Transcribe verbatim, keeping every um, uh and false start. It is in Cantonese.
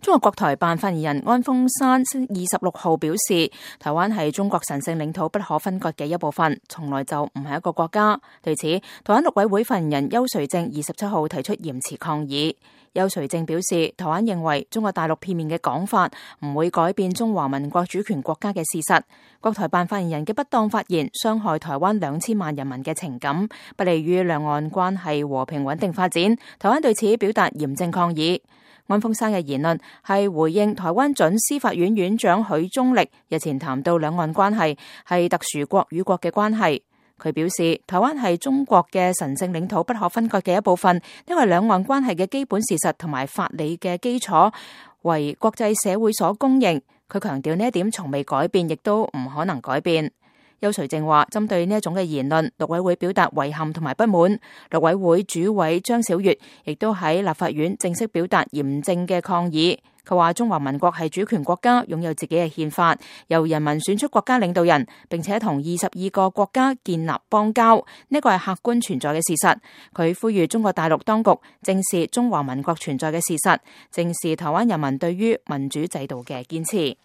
中國國台辦發言人安峰山二十六號表示，台灣係中國神聖領土不可分割嘅一部分，從來就唔係一個國家。對此，台灣陸委會發言人邱垂正二十七號提出嚴詞抗議。邱垂正表示，台灣認為中國大陸片面嘅講法唔會改變中華民國主權國家嘅事實。國台辦發言人嘅不當發言傷害台灣兩千萬人民嘅情感，不利於兩岸關係和平穩定發展。台灣對此表達嚴正抗議。安峰山嘅言論係回應台灣準司法院院長許宗力日前談到兩岸關係係特殊國與國嘅關係。佢表示，台灣係中國嘅神聖領土不可分割嘅一部分，因為兩岸關係嘅基本事實同埋法理嘅基礎為國際社會所公認。佢強調呢一點從未改變，亦都唔可能改變。邱垂正話，針對呢一種嘅言論，陸委會表達遺憾同埋不滿。陸委會主委張曉月亦都喺立法院正式表達嚴正嘅抗議。佢話中華民國係主權國家，擁有自己嘅憲法，由人民選出國家領導人，並且同二十二個國家建立邦交，呢個係客觀存在嘅事實。佢呼籲中國大陸當局正視中華民國存在嘅事實，正視台灣人民對於民主制度嘅堅持。